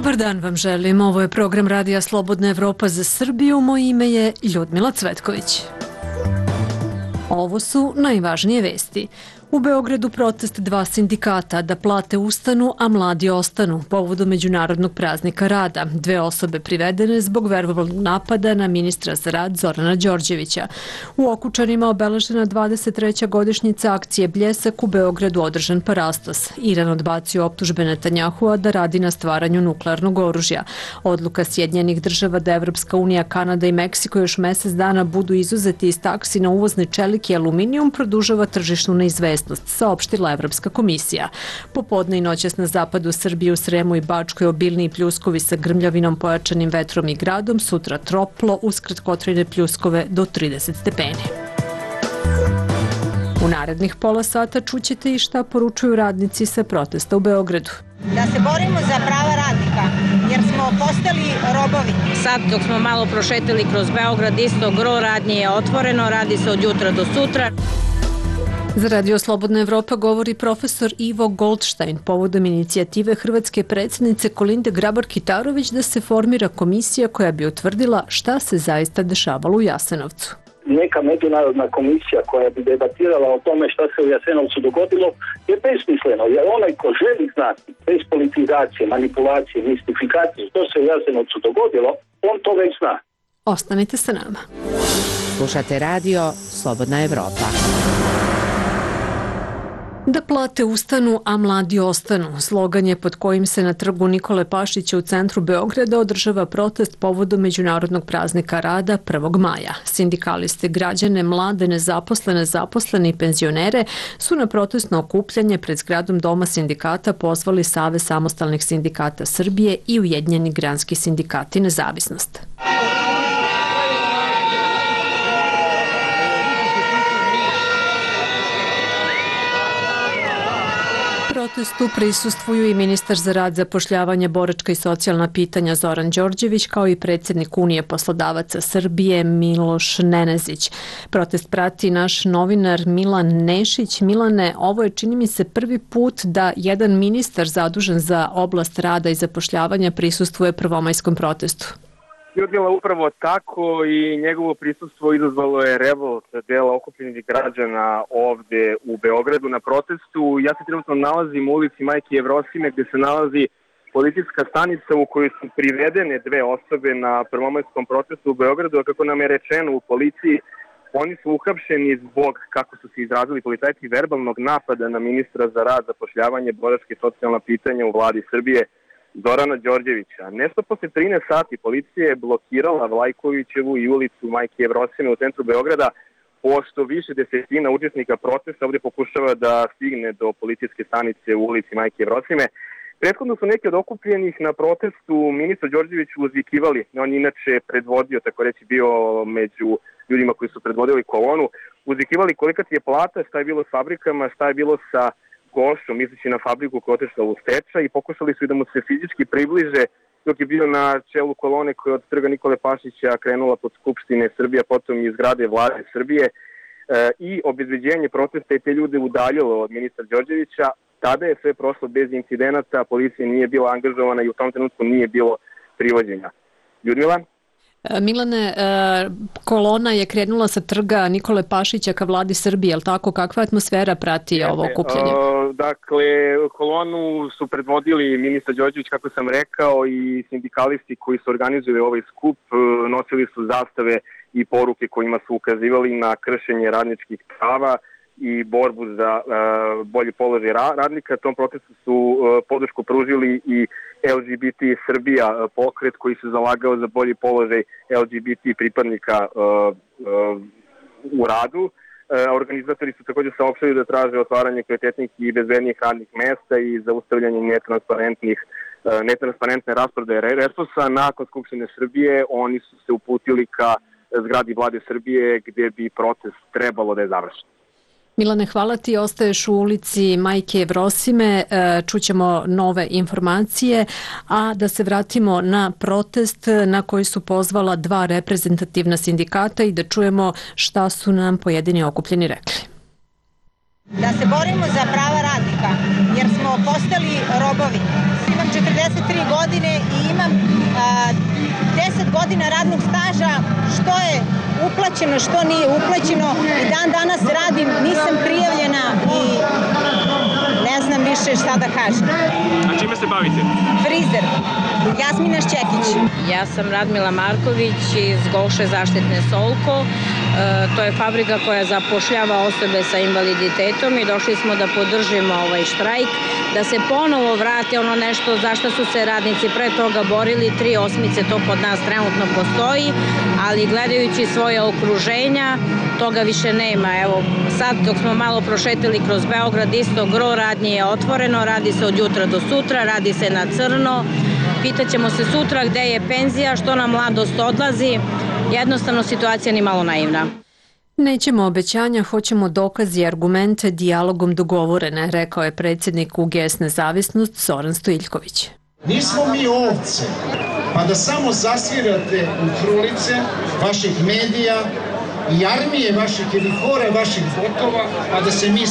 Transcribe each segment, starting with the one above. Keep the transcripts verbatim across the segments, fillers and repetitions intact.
Dobar dan vam želim. Ovo je program Radija Slobodna Evropa za Srbiju. Moje ime je Ljudmila Cvetković. Ovo su najvažnije vesti. U Beogradu protest dva sindikata da plate ustanu, a mladi ostanu, povodom Međunarodnog praznika rada. Dve osobe privedene zbog verbalnog napada na ministra za rad Zorana Đorđevića. U Okučanima obeležena dvadeset treća godišnjica akcije Bljesak, u Beogradu održan parastos. Iran odbacio optužbe Netanjahua da radi na stvaranju nuklearnog oružja. Odluka Sjedinjenih država da Evropska unija, Kanada i Meksiko još mesec dana budu izuzeti iz taksi na uvozne čelik i aluminijum produžava tržišnu neizvesnost, saopštila Evropska komisija. Popodne i noćas na zapadu Srbije, u Sremu i Bačkoj obilni pljuskovi sa grmljavinom, pojačanim vetrom i gradom, sutra toplo, uz kratkotrajne pljuskove do trideset stepeni. U narednih pola sata čućete i šta poručuju radnici sa protesta u Beogradu. Da se borimo za prava radnika, jer smo postali robovi. Sad dok smo malo prošetili kroz Beograd, isto gro radnje je otvoreno, radi se od jutra do sutra. Za Radio Slobodna Evropa govori profesor Ivo Goldstein povodom inicijative hrvatske predsjednice Kolinde Grabar-Kitarović da se formira komisija koja bi utvrdila šta se zaista dešavalo u Jasenovcu. Neka međunarodna komisija koja bi debatirala o tome šta se u Jasenovcu dogodilo je besmisleno, jer onaj ko želi znati bez politizacije, manipulacije, mistifikacije što se u Jasenovcu dogodilo, on to već zna. Ostanite sa nama. Slušate radio Slobodna Evropa. Da plate ustanu, a mladi ostanu. Slogan je pod kojim se na trgu Nikole Pašića u centru Beograda održava protest povodom Međunarodnog praznika rada prvog maja. Sindikaliste, građane, mlade, nezaposlene, zaposlene i penzionere su na protestno okupljanje pred zgradom Doma sindikata pozvali Savez samostalnih sindikata Srbije i Ujedinjeni granski sindikati Nezavisnost. Protestu prisustvuju i ministar za rad, zapošljavanje, boračka i socijalna pitanja Zoran Đorđević, kao i predsjednik Unije poslodavaca Srbije Miloš Nenezić. Protest prati naš novinar Milan Nešić. Milane, ovo je, čini mi se, prvi put da jedan ministar zadužen za oblast rada i zapošljavanja prisustvuje prvomajskom protestu. Ljudmila, upravo tako, i njegovo prisustvo izazvalo je revolt dela okupljenih građana ovde u Beogradu na protestu. Ja se trenutno nalazim u ulici Majke Jevrosime, gde se nalazi policijska stanica u kojoj su privedene dve osobe na prvomajskom protestu u Beogradu, a kako nam je rečeno u policiji, oni su uhapšeni zbog, kako su se izrazili policajci, verbalnog napada na ministra za rad, zapošljavanje, boračka i socijalna pitanja u vladi Srbije Zorana Đorđevića. Nešto posle trinaest sati policija je blokirala Vlajkovićevu i ulicu Majke Jevrosime u centru Beograda, pošto više desetina učesnika protesta ovde pokušava da stigne do policijske stanice u ulici Majke Jevrosime. Prethodno su neki od okupljenih na protestu ministra Đorđeviću uzvikivali. On inače predvodio, tako reći, bio među ljudima koji su predvodili kolonu. Uzvikivali kolika ti je plata, šta je bilo s fabrikama, šta je bilo sa Gošom, misleći na fabriku koja je otišla u stečaj, i pokušali su i da mu se fizički približe dok je bio na čelu kolone koja je od trga Nikole Pašića krenula pod Skupštine Srbije, potom iz zgrade vlade Srbije, e, i obezbeđenje protesta i te ljude udaljilo od ministra Đorđevića. Tada je sve prošlo bez incidenata, policija nije bila angažovana i u tom trenutku nije bilo privođenja. Ljudmila? Milane, kolona je krenula sa trga Nikole Pašića ka vladi Srbije, je li tako? Kakva atmosfera prati Jeste, ovo okupljanje? Dakle, kolonu su predvodili ministar Đorđević, kako sam rekao, i sindikalisti koji su organizovali ovaj skup. Nosili su zastave i poruke kojima su ukazivali na kršenje radničkih prava i borbu za uh, bolji položaj radnika. Tom protestu su uh, podršku pružili i L G B T Srbija pokret koji se zalagao za bolji položaj L G B T pripadnika uh, uh, u radu. Uh, organizatori su također saopštili da traže otvaranje kvalitetnih i bezbednijih radnih mesta i zaustavljanje netransparentnih uh, netransparentne rasprodaje resursa. Nakon Skupštine Srbije oni su se uputili ka zgradi vlade Srbije gdje bi protest trebalo da je završen. Milane, hvala ti. Ostaješ u ulici Majke Jevrosime, čućemo nove informacije, a da se vratimo na protest na koji su pozvala dva reprezentativna sindikata i da čujemo šta su nam pojedini okupljeni rekli. Da se borimo za prava radnika, jer smo postali robovi. Imam četrdeset šezdeset tri godine i imam deset godina radnog staža, što je uplaćeno, što nije uplaćeno i dan danas radim, nisam prijavljena i ne znam više šta da kažem. A čime se bavite? Frizer. Jasmina Šćekić. Ja sam Radmila Marković iz Golše zaštitne Solko. E, to je fabrika koja zapošljava osobe sa invaliditetom i došli smo da podržimo ovaj štrajk, da se ponovo vrati ono nešto za što su se radnici pre toga borili. Tri osmice to kod nas trenutno postoji, ali gledajući svoje okruženja, toga više nema. Evo, sad dok smo malo prošetili kroz Beograd, isto gro radnje je otvoreno, radi se od jutra do sutra, radi se na crno. Pitaćemo se sutra gde je penzija, što nam mladost odlazi. Jednostavno situacija ni malo naivna. Nećemo obećanja, hoćemo dokazi i argumente dijalogom dogovorene, rekao je predsjednik U G S Nezavisnost Zoran Stojiljković. Nismo mi ovce, pa da samo zasvirate u frulice vaših medija i armije vaših ili hore vaših botova, pa da se mi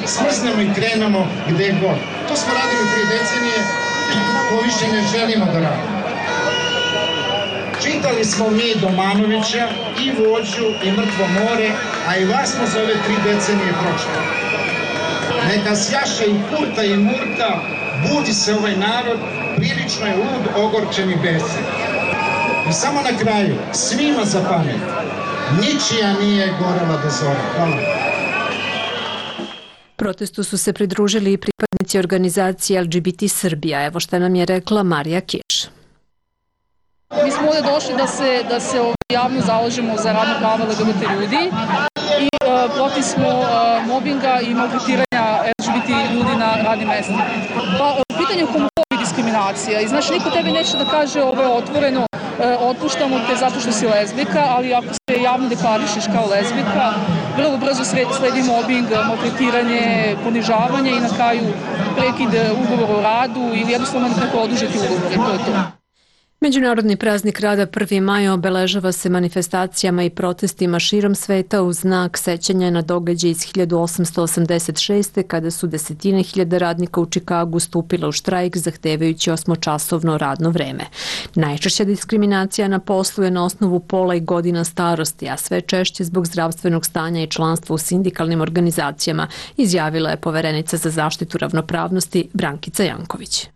smrznemo i krenemo gde god. To smo radili prije decenije, to više ne želimo da radimo. Čitali smo mi Domanovića i Vođu i Mrtvo more, a i vas smo za ove tri decenije pročitali. Neka sjaše i Kurta i Murta, budi se ovaj narod, prilično je lud, ogorčen i besan. I samo na kraju, svima za pamet, ničija nije gorela do zora. Hvala. Protestu su se pridružili i pripadnici organizacije L G B T Srbija. Evo šta nam je rekla Marija Kiš. Mi smo ovdje došli da se, da se javno zalažemo za radna prava L G B T ljudi i uh, protiv smo uh, mobinga i maltretiranja L G B T ljudi na radnim mestima. Pa, uh, pitanje je homofobija i diskriminacija. I znači, niko tebi neće da kaže ovo je otvoreno, uh, otpuštamo te zato što si lezbika, ali ako se javno deklarišeš kao lezbika, vrlo brzo sledi mobing, maltretiranje, ponižavanje i na kraju prekid ugovora o radu ili jednostavno nekako odužiti ugovore. To je to. Međunarodni praznik rada prvi maj obeležava se manifestacijama i protestima širom sveta u znak sećanja na događaj iz hiljadu osamsto osamdeset šeste. kada su desetine hiljada radnika u Čikagu stupila u štrajk zahtevajući osmočasovno radno vreme. Najčešća diskriminacija na poslu je na osnovu pola i godina starosti, a sve češće zbog zdravstvenog stanja i članstva u sindikalnim organizacijama, izjavila je poverenica za zaštitu ravnopravnosti Brankica Janković.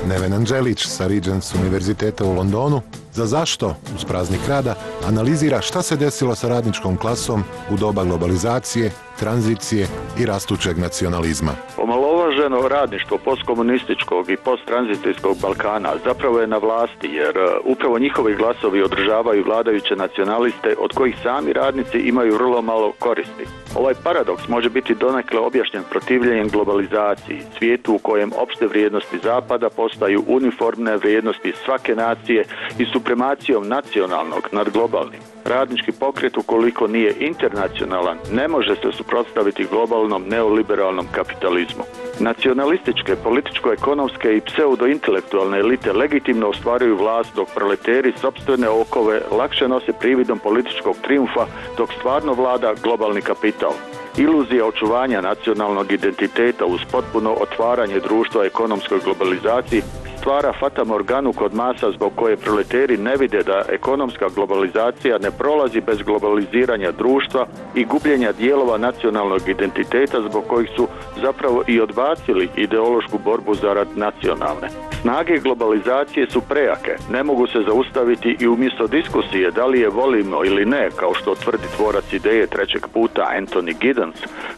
Neven Anđelić sa Regents univerziteta u Londonu za Zašto uz praznik rada analizira šta se desilo sa radničkom klasom u doba globalizacije, tranzicije i rastućeg nacionalizma. Omalovaženo radništvo postkomunističkog i posttranzicijskog Balkana zapravo je na vlasti jer upravo njihovi glasovi održavaju vladajuće nacionaliste od kojih sami radnici imaju vrlo malo koristi. Ovaj paradoks može biti donekle objašnjen protivljenjem globalizaciji, svijetu u kojem opšte vrijednosti Zapada postaju uniformne vrijednosti svake nacije i supremacijom nacionalnog nad globalnim. Radnički pokret, ukoliko nije internacionalan, ne može se suprotstaviti globalnom neoliberalnom kapitalizmu. Nacionalističke, političko-ekonomske i pseudo-intelektualne elite legitimno ostvaruju vlast dok proleteri sopstvene okove lakše nose prividom političkog trijumfa dok stvarno vlada globalni kapital. Iluzija očuvanja nacionalnog identiteta uz potpuno otvaranje društva ekonomskoj globalizaciji stvara fatamorganu kod masa zbog koje proleteri ne vide da ekonomska globalizacija ne prolazi bez globaliziranja društva i gubljenja dijelova nacionalnog identiteta zbog kojih su zapravo i odbacili ideološku borbu zarad nacionalne. Snage globalizacije su prejake, ne mogu se zaustaviti i umjesto diskusije da li je volimo ili ne, kao što tvrdi tvorac ideje trećeg puta Anthony Giddens,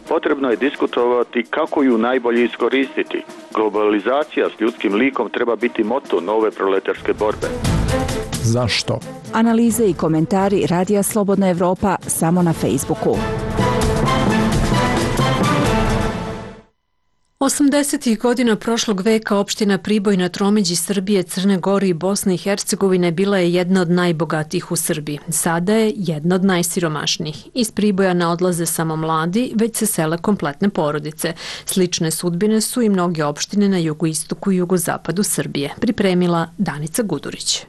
potrebno je diskutovati kako ju najbolje iskoristiti. Globalizacija s ljudskim likom treba biti moto nove proletarske borbe. Zašto? Analize i komentari Radija Slobodna Evropa samo na Facebooku. osamdesetih godina prošlog veka opština Priboj na tromeđi Srbije, Crne Gore i Bosne i Hercegovine bila je jedna od najbogatijih u Srbiji. Sada je jedna od najsiromašnijih. Iz Priboja ne odlaze samo mladi, već se sele kompletne porodice. Slične sudbine su i mnoge opštine na jugoistoku i jugozapadu Srbije. Pripremila Danica Gudurić.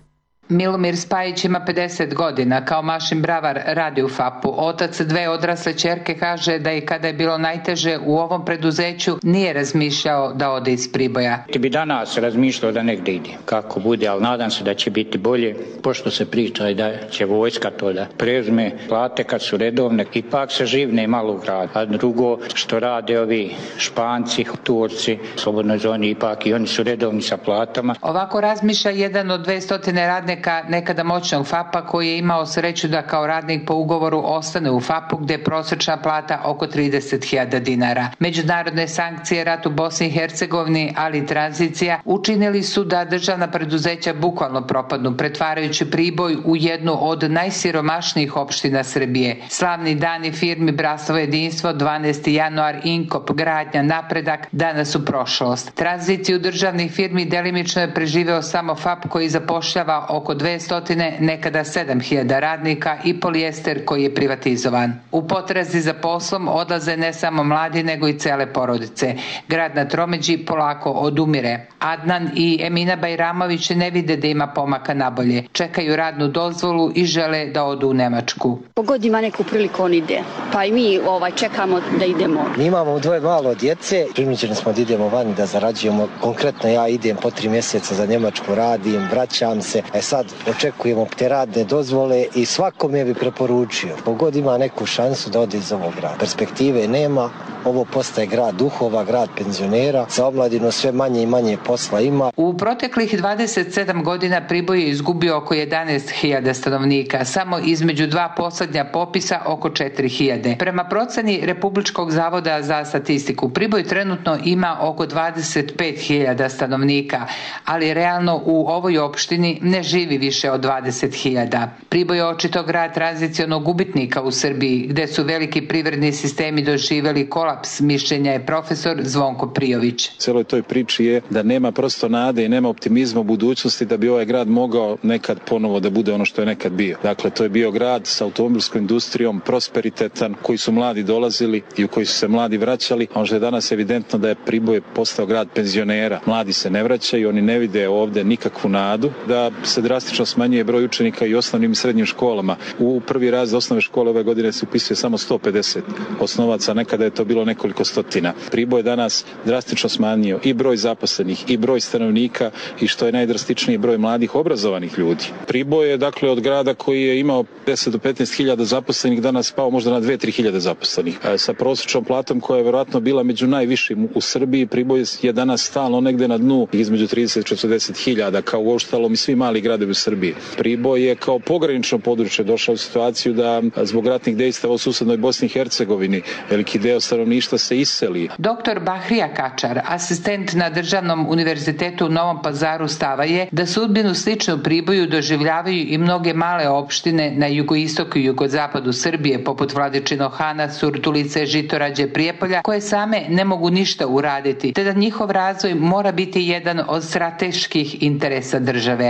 Milomir Spajić ima pedeset godina, kao mašin bravar radi u F A P-u. Otac dve odrasle ćerke kaže da i kada je bilo najteže u ovom preduzeću nije razmišljao da ode iz Priboja. Ti bi danas razmišljao da negdje ide, kako bude, ali nadam se da će biti bolje, pošto se priča i da će vojska to da preuzme plate kad su redovne, ipak se živne malo u gradu. A drugo što rade ovi Španci, Turci, slobodnoj zoni, ipak i oni su redovni sa platama. Ovako razmišlja jedan od dvestotine radnika nekada moćnog F A P-a koji je imao sreću da kao radnik po ugovoru ostane u F A P-u gdje je prosječna plata oko trideset hiljada dinara. Međunarodne sankcije, rat u Bosni i Hercegovini, ali i tranzicija učinili su da državna preduzeća bukvalno propadnu, pretvarajući Priboj u jednu od najsiromašnijih opština Srbije. Slavni dani firmi Brasovo jedinstvo, dvanaesti januar, Inkop, Gradnja, Napredak, danas u prošlost. Tranziciju državnih firmi delimično je preživeo samo F A P koji zapošljava oko dvestotine, nekada sedam hiljada radnika i Polijester koji je privatizovan. U potrazi za poslom odlaze ne samo mladi nego i cele porodice. Grad na tromeđi polako odumire. Adnan i Emina Bajramović ne vide da ima pomaka nabolje. Čekaju radnu dozvolu i žele da odu u Nemačku. Pogod ima neku priliku on ide, pa i mi ovaj, čekamo da idemo. Mi imamo dvoje malo djece, primičeni smo da idemo vani da zarađujemo. Konkretno ja idem po tri mjeseca za Njemačku, radim, vraćam se. E sad očekujemo te radne dozvole i svakome bi preporučio, pogod ima neku šansu da ode iz ovog grada. Perspektive nema, ovo postaje grad duhova, grad penzionera, za omladinu sve manje i manje posla ima. U proteklih dvadeset sedam godina Priboj je izgubio oko jedanaest hiljada stanovnika, samo između dva posljednja popisa oko četiri hiljade. Prema proceni Republičkog zavoda za statistiku, Priboj trenutno ima oko dvadeset pet hiljada stanovnika, ali realno u ovoj opštini ne živi više od dvadeset hiljada. Priboj je očito grad tranzicionog gubitnika u Srbiji, gde su veliki privredni sistemi doživjeli kolaps, mišljenja je profesor Zvonko Prijović. Celoj toj priči je da nema prosto nade i nema optimizma u budućnosti da bi ovaj grad mogao nekad ponovo da bude ono što je nekad bio. Dakle, to je bio grad sa automobilskom industrijom, prosperitetan, koji su mladi dolazili i u koji su se mladi vraćali, a ono što je danas evidentno da je Priboj postao grad penzionera. Mladi se ne vraćaju, oni ne vide ovdje nikakvu nadu, da se drastično smanjuje broj učenika i osnovnim i srednjim školama. U prvi razred osnovne škole ove godine se upisuje samo sto pedeset osnovaca, nekada je to bilo nekoliko stotina. Priboj je danas drastično smanjio i broj zaposlenih i broj stanovnika i što je najdrastičniji broj mladih obrazovanih ljudi. Priboj je dakle od grada koji je imao deset do petnaest hiljada zaposlenih danas pao možda na dve do tri hiljade zaposlenih. Sa prosječnom platom koja je vjerojatno bila među najvišim u Srbiji, Priboj je danas stalno negde na dnu između trideset do četrdeset hiljada kao uostalom i svi mali gradovi u Srbiji. Priboj je kao pogranično područje došao u situaciju da zbog ratnih dejstava u susednoj Bosni i Hercegovini veliki deo stanovništva se iseli. Doktor Bahrija Kačar, asistent na Državnom univerzitetu u Novom Pazaru, stava je da sudbinu sličnu Priboju doživljavaju i mnoge male opštine na jugoistoku i jugozapadu Srbije, poput Vladičinog Hana, Surdulice, Žitorađe, Prijepolja, koje same ne mogu ništa uraditi, te da njihov razvoj mora biti jedan od strateških interesa države.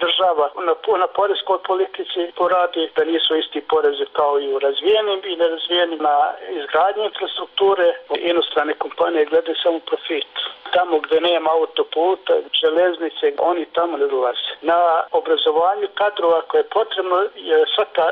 Država na, na poreskoj politici poradi da nisu isti porezi kao i u razvijenim i nerazvijenim, na izgradnji infrastrukture. Inostrane kompanije gledaju samo profit. Tamo gdje nema autoputa, železnice, oni tamo ne dolaze. Na obrazovanju kadrova koje je potrebno, je svaka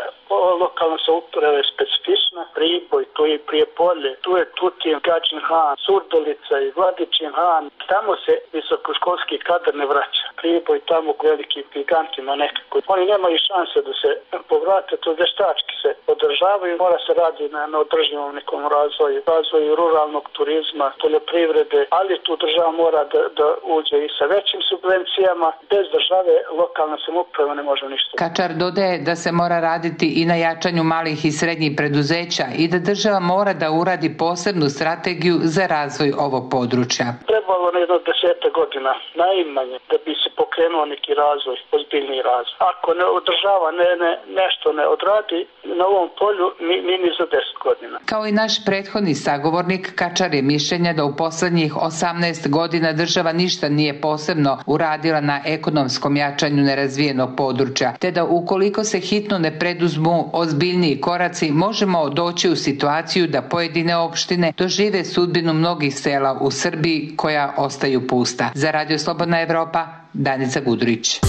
lokalna samouprava je specifična. Priboj, tu je Prijepolje, tu je Tutin, Gadžin Han, Surdulica i Vladičin Han. Tamo se visokoškolski kadar ne vraća. Priboj tamo u velikim gigantima nekako. Oni nemaju šanse da se povrate, to vještački se održavaju. Mora se radi na, na održivom nekom razvoju, razvoju ruralnog turizma, poljoprivrede, ali tu država mora da, da uđe i sa većim subvencijama. Bez države lokalna samouprava ne može ništa. Kačar dodaje da se mora raditi i na jačanju malih i srednjih preduzeća i da država mora da uradi posebnu strategiju za razvoj ovog područja. Trebalo na jedno deseta godina, najmanje, da bi se pokrenuo neki razvoj, ozbiljni razvoj. Ako ne održava, ne, ne, nešto ne odradi na ovom polju, ni, ni, ni za deset godina. Kao i naš prethodni sagovornik, Kačar je mišljenja da u poslednjih osamnaest godina država ništa nije posebno uradila na ekonomskom jačanju nerazvijenog područja, te da ukoliko se hitno ne preduzmu ozbiljniji koraci, možemo doći u situaciju da pojedine opštine dožive sudbinu mnogih sela u Srbiji koja ostaju pusta. Za Radio Slobodna Evropa, Danica Gudurić.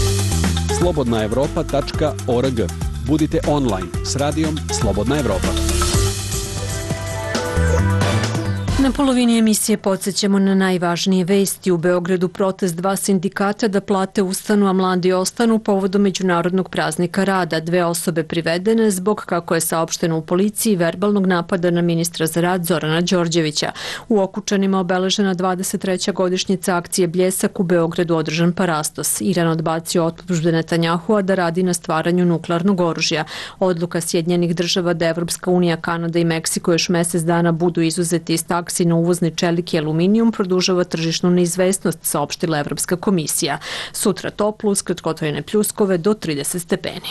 slobodna evropa tačka org. Budite online s radijom Slobodna Evropa. Na polovini emisije podsjećamo na najvažnije vesti. U Beogradu protest dva sindikata da plate ustanu, a mladi ostanu povodom Međunarodnog praznika rada. Dve osobe privedene zbog, kako je saopšteno u policiji, verbalnog napada na ministra za rad Zorana Đorđevića. U Okučanima obeležena dvadeset treća godišnjica akcije Bljesak, u Beogradu održan parastos. Iran odbacio optužbe Netanjahua da radi na stvaranju nuklearnog oružja. Odluka Sjedinjenih država da Evropska unija, Kanada i Meksiko još mesec dana budu izuzeti iz taksi na uvozni čelik i aluminijum produžava tržišnu neizvesnost, saopštila Evropska komisija. Sutra toplo uz kratkotrajne pljuskove do trideset stepeni.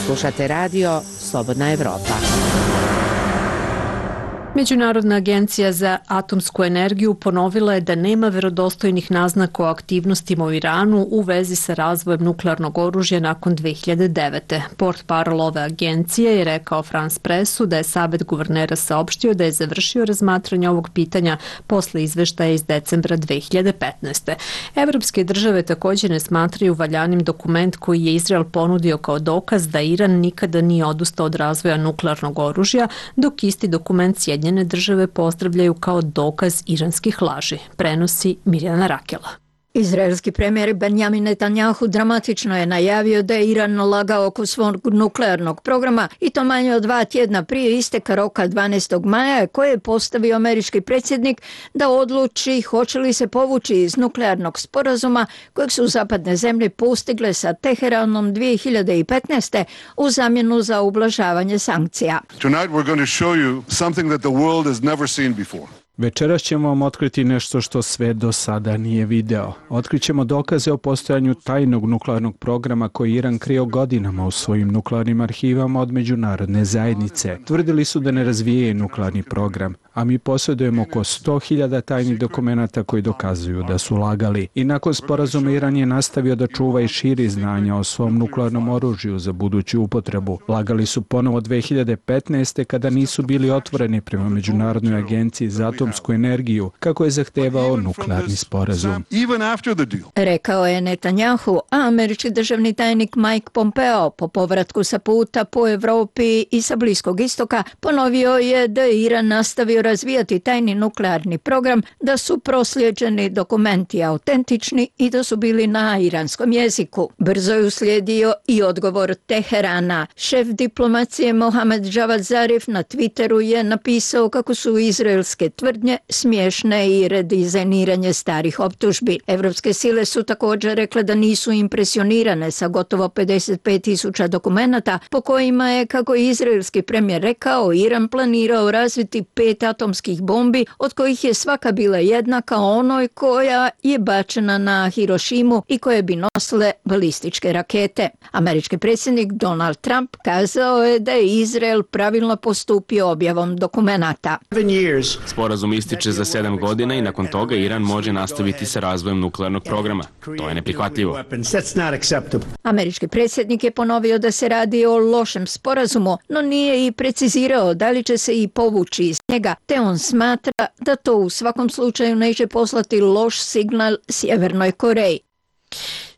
Slušate radio Slobodna Evropa. Međunarodna agencija za atomsku energiju ponovila je da nema verodostojnih naznaka o aktivnostima u Iranu u vezi sa razvojem nuklearnog oružja nakon dve hiljade devete. Portparol ove agencije je rekao France Pressu da je Savet guvernera saopštio da je završio razmatranje ovog pitanja posle izveštaja iz decembra dve hiljade petnaeste. Evropske države također ne smatraju valjanim dokument koji je Izrael ponudio kao dokaz da Iran nikada nije odustao od razvoja nuklearnog oružja, dok isti dokument Sjedinjene države pozdravljaju kao dokaz iranskih laži, prenosi Mirjana Rakela. Izraelski premijer Benjamin Netanjahu dramatično je najavio da je Iran lagao oko svog nuklearnog programa i to manje od dva tjedna prije isteka roka dvanaestog maja koje je postavio američki predsjednik da odluči hoće li se povući iz nuklearnog sporazuma kojeg su zapadne zemlje postigle sa Teheranom dvije hiljade petnaeste u zamjenu za ublažavanje sankcija. Tonight we're going to show you something that the world has never seen before. Večeras ćemo vam otkriti nešto što sve do sada nije video. Otkrićemo dokaze o postojanju tajnog nuklearnog programa koji Iran krio godinama u svojim nuklearnim arhivama od međunarodne zajednice. Tvrdili su da ne razvijaju nuklearni program, a mi posjedujemo oko sto hiljada tajnih dokumenata koji dokazuju da su lagali. I nakon sporazuma Iran je nastavio da čuva i širi znanja o svom nuklearnom oružju za buduću upotrebu. Lagali su ponovo dve hiljade petnaeste kada nisu bili otvoreni prema Međunarodnoj agenciji za atomsku energiju, kako je zahtevao nuklearni sporazum. Rekao je Netanjahu, a američki državni tajnik Mike Pompeo po povratku sa puta po Evropi i sa Bliskog istoka ponovio je da je Iran nastavio razvijati tajni nuklearni program, da su proslijeđeni dokumenti autentični i da su bili na iranskom jeziku. Brzo je uslijedio i odgovor Teherana. Šef diplomacije Mohamed Javad Zarif na Twitteru je napisao kako su izraelske tvrdnje smiješne i redizajniranje starih optužbi. Evropske sile su također rekle da nisu impresionirane sa gotovo pedeset pet tisuća dokumenata po kojima je, kako je izraelski premijer rekao, Iran planirao razviti pet atomskih bombi, od kojih je svaka bila jednaka onoj koja je bačena na Hirošimu i koje bi nosile balističke rakete. Američki predsjednik Donald Trump kazao je da je Izrael pravilno postupio objavom dokumenata. Sporazum ističe za sedam godina i nakon toga Iran može nastaviti sa razvojem nuklearnog programa. To je neprihvatljivo. Američki predsjednik je ponovio da se radi o lošem sporazumu, no nije i precizirao da li će se i povući iz njega, te on smatra da to u svakom slučaju neće poslati loš signal Sjevernoj Koreji.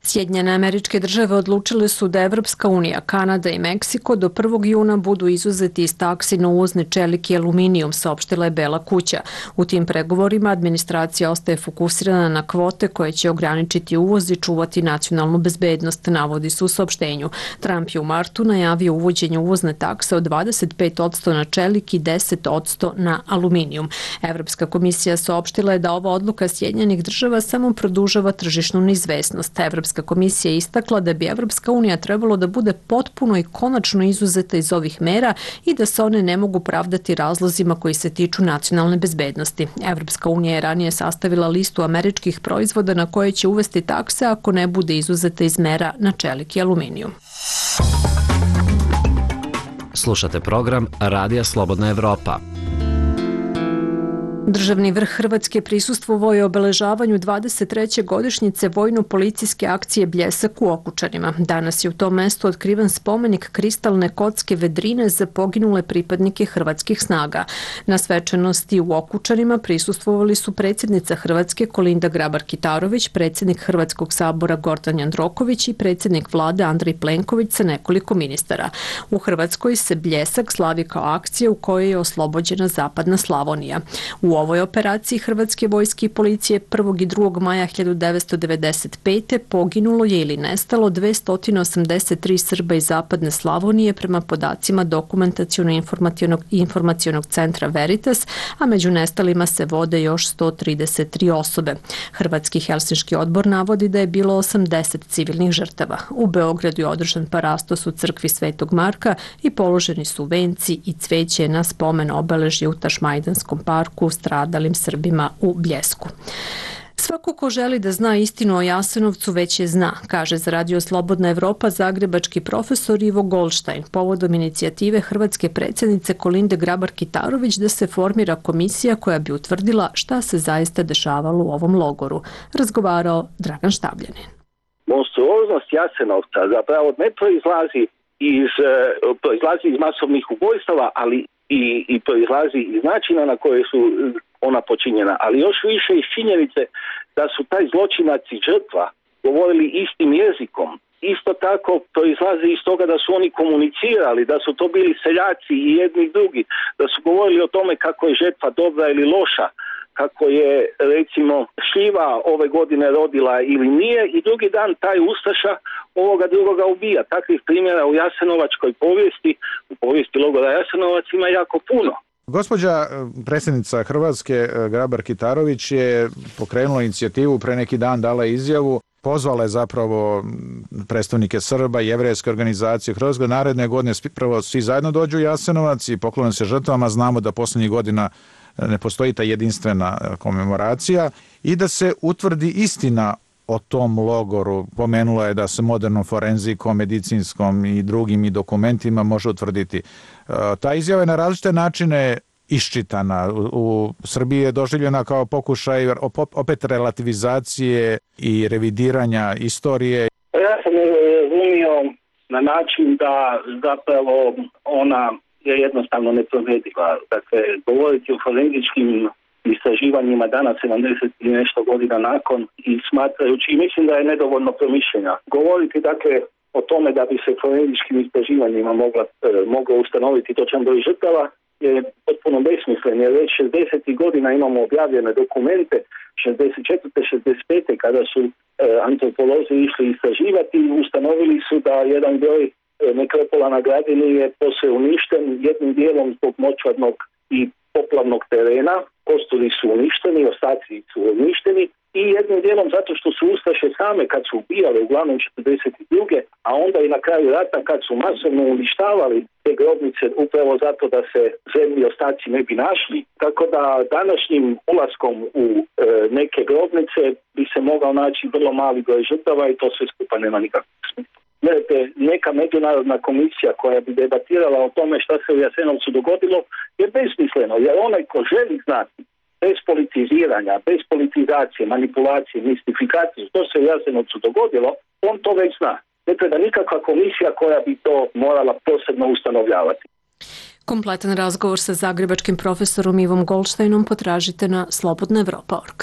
Sjedinjene Američke Države odlučile su da Evropska unija, Kanada i Meksiko do prvog juna budu izuzeti iz taksi na uvozni čelik i aluminijum, saopštila je Bela kuća. U tim pregovorima administracija ostaje fokusirana na kvote koje će ograničiti uvoz i čuvati nacionalnu bezbednost, navodi se u saopštenju. Trump je u martu najavio uvođenje uvozne takse od dvadeset pet posto na čelik i deset posto na aluminijum. Evropska komisija saopštila je da ova odluka Sjedinjenih Država samo produžava tržišnu neizvesnost. Evropska komisija je istakla da bi Evropska unija trebalo da bude potpuno i konačno izuzeta iz ovih mera i da se one ne mogu pravdati razlozima koji se tiču nacionalne bezbednosti. Evropska unija je ranije sastavila listu američkih proizvoda na koje će uvesti takse ako ne bude izuzeta iz mera na čelik i aluminijum. Slušate program Radija Slobodna Evropa. Državni vrh Hrvatske prisustvovao je obeležavanju dvadeset treće godišnjice vojno-policijske akcije Bljesak u Okučanima. Danas je u tom mestu otkriven spomenik kristalne kocke vedrine za poginule pripadnike hrvatskih snaga. Na svečanosti u Okučanima prisustvovali su predsjednica Hrvatske Kolinda Grabar-Kitarović, predsjednik Hrvatskog sabora Gordan Jandroković i predsjednik vlade Andrej Plenković sa nekoliko ministara. U Hrvatskoj se Bljesak slavi kao akcija u kojoj je oslobođena zapadna Slavonija. U ovoj operaciji Hrvatske vojske i policije prvog i drugog maja hiljadu devetsto devedeset pete poginulo je ili nestalo dvesta osamdeset tri Srba iz zapadne Slavonije prema podacima dokumentaciono-informacionog informacionog centra Veritas, a među nestalima se vode još sto trideset tri osobe. Hrvatski Helsinški odbor navodi da je bilo osamdeset civilnih žrtava. U Beogradu je održan parastos u crkvi Svetog Marka i položeni su venci i cveće na spomen obeležje u Tašmajdanskom parku stradalim Srbima u Bljesku. Svako ko želi da zna istinu o Jasenovcu već je zna, kaže za Radio Slobodna Evropa zagrebački profesor Ivo Goldstein povodom inicijative hrvatske predsjednice Kolinde Grabar-Kitarović da se formira komisija koja bi utvrdila šta se zaista dešavalo u ovom logoru. Razgovarao Dragan Štabljanin. Monstruoznost Jasenovca zapravo ne proizlazi iz, proizlazi iz masovnih ubojstava, ali i, i proizlazi iz načina na koje su ona počinjena, ali još više iz činjenice da su taj zločinac i žrtva govorili istim jezikom. Isto tako proizlazi iz toga da su oni komunicirali, da su to bili seljaci i jedni i drugi, da su govorili o tome kako je žetva dobra ili loša, kako je recimo šljiva ove godine rodila ili nije i drugi dan taj ustaša ovoga drugoga ubija. Takvih primjera u jasenovačkoj povijesti, u povijesti logora Jasenovac ima jako puno. Gospođa predsjednica Hrvatske Grabar-Kitarović je pokrenula inicijativu, pre neki dan dala izjavu, pozvala je zapravo predstavnike Srba, jevrejske organizacije Hrvatske, naredne godine prvo svi zajedno dođu u Jasenovac i poklone se žrtvama, znamo da posljednjih godina ne postoji ta jedinstvena komemoracija i da se utvrdi istina o tom logoru. Pomenula je da se modernom forenzikom, medicinskom i drugim i dokumentima može utvrditi. Ta izjava je na različite načine iščitana. U Srbiji je doživljena kao pokušaj opet relativizacije i revidiranja istorije. Ja sam je razumio na način da zapravo ona je jednostavno neprovediva. Dakle, govoriti o forenzičkim istraživanjima danas sedamdeset i nešto godina nakon i smatrajući, i mislim da je nedovoljno promišljena. Govoriti dakle o tome da bi se forenzičkim istraživanjima mogla, e, moglo ustanoviti točan broj žrtava je potpuno besmislen, jer već šezdesetih godina imamo objavljene dokumente, šezdeset četvrte šezdeset pete kada su e, antropolozi išli istraživati i ustanovili su da jedan broj e, nekropola na Gradini je posve uništen, jednim dijelom zbog močvarnog i poplavnog terena, kosturi su uništeni, ostaci su uništeni i jednim dijelom zato što su ustaše same kad su ubijale uglavnom četrdeset druge a onda i na kraju rata kad su masovno uništavali te grobnice upravo zato da se zemlji ostaci ne bi našli. Tako da današnjim ulaskom u e, neke grobnice bi se mogao naći vrlo mali broj žrtava i to sve skupa nema nikakvog smisla. Gledajte, neka međunarodna komisija koja bi debatirala o tome šta se u Jasenovcu dogodilo je besmisleno, jer onaj ko želi znati bez politiziranja, bez politizacije, manipulacije, mistifikacije što se u Jasenovcu dogodilo, on to već zna. Ne treba nikakva komisija koja bi to morala posebno ustanovljavati. Kompletan razgovor sa zagrebačkim profesorom Ivom Goldsteinom potražite na slobodna evropa tačka org.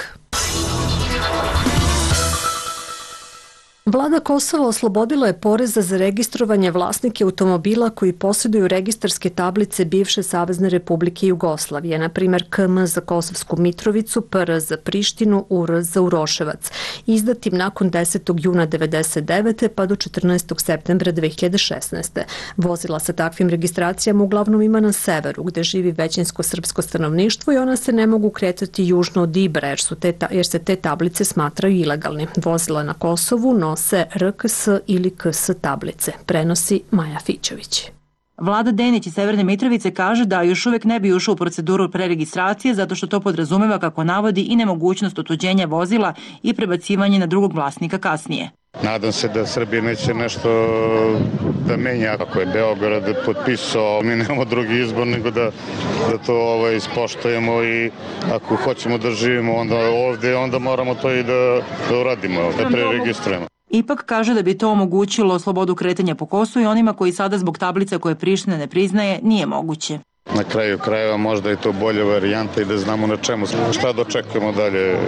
Vlada Kosova oslobodila je poreza za registrovanje vlasnike automobila koji posjeduju registarske tablice bivše Savezne Republike Jugoslavije, na primjer K M za Kosovsku Mitrovicu, P R za Prištinu, U R za Uroševac, izdatim nakon desetog juna devedeset devete pa do četrnaestog septembra dve hiljade šesnaeste. Vozila sa takvim registracijama uglavnom ima na severu, gde živi većinsko srpsko stanovništvo i ona se ne mogu kretati južno od Ibra, jer, su te, jer se te tablice smatraju ilegalni. Vozila na Kosovu no se R K S ili K S tablice, prenosi Maja Fićović. Vlada Denić iz Severne Mitrovice kaže da još uvijek ne bi ušao u proceduru preregistracije zato što to podrazumeva, kako navodi, i nemogućnost otuđenja vozila i prebacivanje na drugog vlasnika kasnije. Nadam se da Srbija neće nešto da menja. Ako je Beograd potpisao, mi nemamo drugi izbor nego da, da to ovaj, ispoštujemo i ako hoćemo da živimo onda ovde, onda moramo to i da, da uradimo, da preregistrujemo. Ipak kaže da bi to omogućilo slobodu kretanja po Kosovu i onima koji sada zbog tablica koje Priština ne priznaje nije moguće. Na kraju krajeva možda je to bolja varijanta i da znamo na čemu, šta dočekujemo dalje,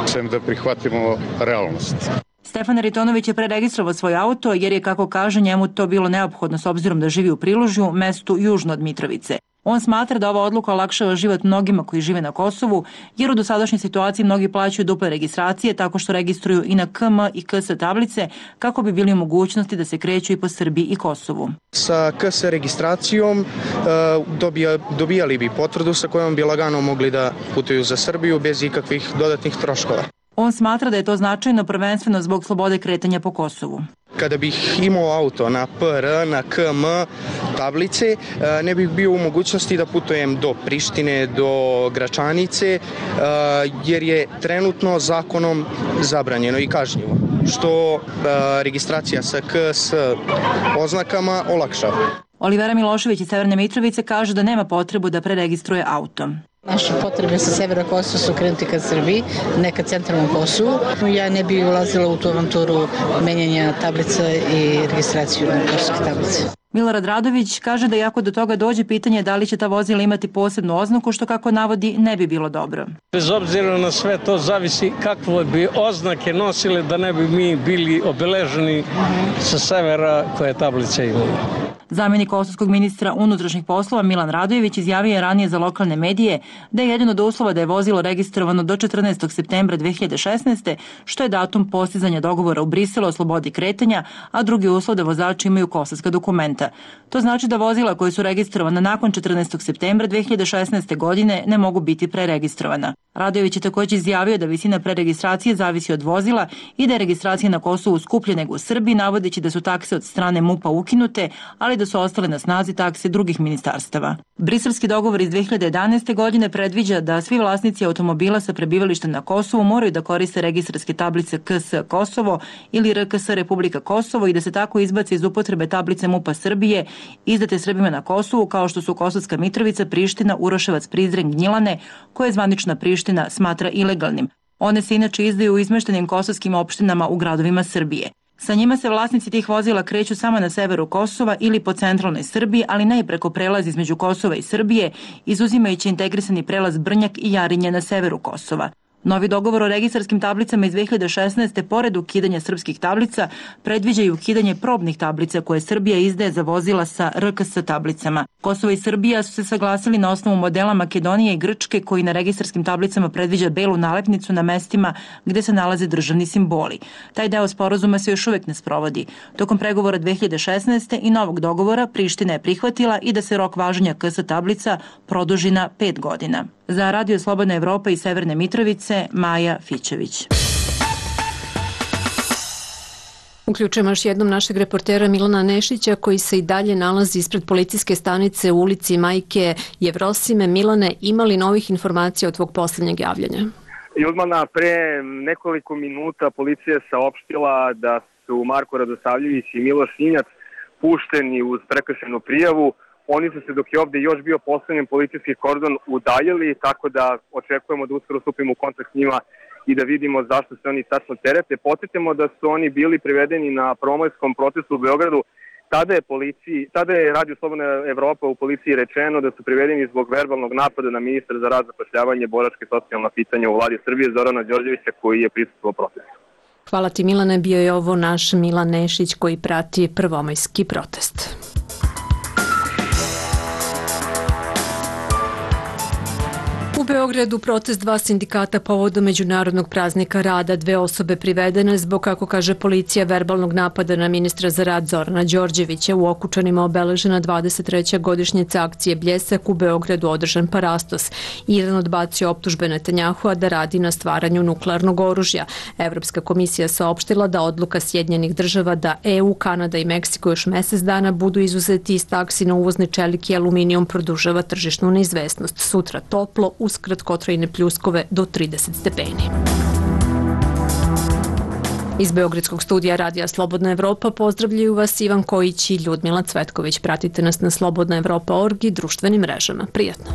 sem da prihvatimo realnost. Stefan Aritonović je preregistrovao svoj auto jer je, kako kaže, njemu to bilo neophodno s obzirom da živi u Prilužju, mestu južno od Mitrovice. On smatra da ova odluka olakšava život mnogima koji žive na Kosovu, jer u dosadašnjoj situaciji mnogi plaćaju duple registracije tako što registruju i na K M i K S tablice kako bi bili u mogućnosti da se kreću i po Srbiji i Kosovu. Sa K S registracijom dobija, dobijali bi potvrdu sa kojom bi lagano mogli da putuju za Srbiju bez ikakvih dodatnih troškova. On smatra da je to značajno prvenstveno zbog slobode kretanja po Kosovu. Kada bih imao auto na P R, na K M tablice, ne bih bio u mogućnosti da putujem do Prištine, do Gračanice, jer je trenutno zakonom zabranjeno i kažnjivo, što registracija sa K S oznakama olakšava. Olivera Milošević iz Severne Mitrovice kaže da nema potrebu da preregistruje auto. Naše potrebe sa severa Kosova su krenuti ka Srbiji, ne ka centralnom Kosovu. Ja ne bih ulazila u tu avanturu menjanja tablica i registraciju na kosovske tablice. Milorad Radović kaže da iako do toga dođe, pitanje da li će ta vozila imati posebnu oznaku, što kako navodi ne bi bilo dobro. Bez obzira na sve to zavisi kakve bi oznake nosile da ne bi mi bili obeleženi sa severa koje tablice imamo. Zamjenik kosovskog ministra unutrašnjih poslova Milan Radojević izjavio je ranije za lokalne medije da je jedan od uslova da je vozilo registrovano do četrnaestog septembra dve hiljade šesnaeste. što je datum postizanja dogovora u Briselu o slobodi kretanja, a drugi uslov da vozači imaju kosovska dokumenta. To znači da vozila koje su registrovana nakon četrnaestog septembra dve hiljade šesnaeste. godine ne mogu biti preregistrovana. Radojević je također izjavio da visina preregistracije zavisi od vozila i da je registracija na Kosovu skuplja nego u Srbiji, navodeći da su takse od strane M U P-a ukinute, ali da su ostale na snazi takse drugih ministarstava. Briselski dogovor iz dve hiljade jedanaeste. godine predviđa da svi vlasnici automobila sa prebivalištem na Kosovu moraju da koriste registarske tablice K S Kosovo ili R K S Republika Kosovo i da se tako izbace iz upotrebe tablice M U P-a Srbije izdate Srbima na Kosovu, kao što su Kosovska Mitrovica, Priština, Uroševac, Prizren, Gnjilane, koje zvanična Priština smatra ilegalnim. One se inače izdaju u izmeštenim kosovskim opštinama u gradovima Srbije. Sa njima se vlasnici tih vozila kreću samo na severu Kosova ili po centralnoj Srbiji, ali ne i preko prelaza između Kosova i Srbije, izuzimajući integrisani prelaz Brnjak i Jarinje na severu Kosova. Novi dogovor o registarskim tablicama iz dve hiljade šesnaeste. pored ukidanja srpskih tablica predviđa i ukidanje probnih tablica koje Srbija izdaje za vozila sa R K S tablicama. Kosovo i Srbija su se saglasili na osnovu modela Makedonije i Grčke koji na registarskim tablicama predviđa belu nalepnicu na mestima gde se nalaze državni simboli. Taj deo sporazuma se još uvek ne sprovodi. Tokom pregovora dve hiljade šesnaeste. i novog dogovora Priština je prihvatila i da se rok važenja K S tablica produži na pet godina. Za Radio Slobodna Evropa iz Severne Mitrovice, Maja Fićević. Uključujemo još jednom našeg reportera Milana Nešića koji se i dalje nalazi ispred policijske stanice u ulici Majke Jevrosime. Milane, ima li novih informacija od tvog posljednjeg javljanja? Judmana, pre nekoliko minuta policija je saopštila da su Marko Radosavljević i Miloš Sinjac pušteni uz prekršajnu prijavu. Oni su se, dok je ovde još bio postavljen policijski kordon, udaljili, tako da očekujemo da uskoro stupimo u kontakt s njima i da vidimo zašto se oni tačno terete. Podsjetimo da su oni bili privedeni na prvomajskom protestu u Beogradu. Tada je, policiji, tada je Radio Slobodna Evropa u policiji rečeno da su privedeni zbog verbalnog napada na ministra za rad, zapošljavanje, boračke i socijalna pitanja u vladi Srbije, Zorana Đorđevića, koji je prisustvovao protestu. Hvala ti, Milane. Bio je ovo naš Milan Nešić koji prati prvomajski protest. U Beogradu protest dva sindikata povodom Međunarodnog praznika rada. Dve osobe privedene zbog, kako kaže policija, verbalnog napada na ministra za rad Zorana Đorđevića. U Okučanima obeležena dvadeset treća godišnjica akcije Bljesak, u Beogradu održan parastos. Iran odbacio optužbe Netanjahua da radi na stvaranju nuklearnog oružja. Evropska komisija saopštila da odluka Sjedinjenih država da E U, Kanada i Meksiko još mesec dana budu izuzeti iz taksi na uvozni čelik i aluminijum produžava tržišnu neizvesnost. Sutra toplo, uz kratkotrajne pljuskove do trideset stepeni. Iz Beogradskog studija Radija Slobodna Evropa pozdravljaju vas Ivan Kojić i Ljudmila Cvetković. Pratite nas na slobodna evropa tačka org i društvenim mrežama. Prijatno!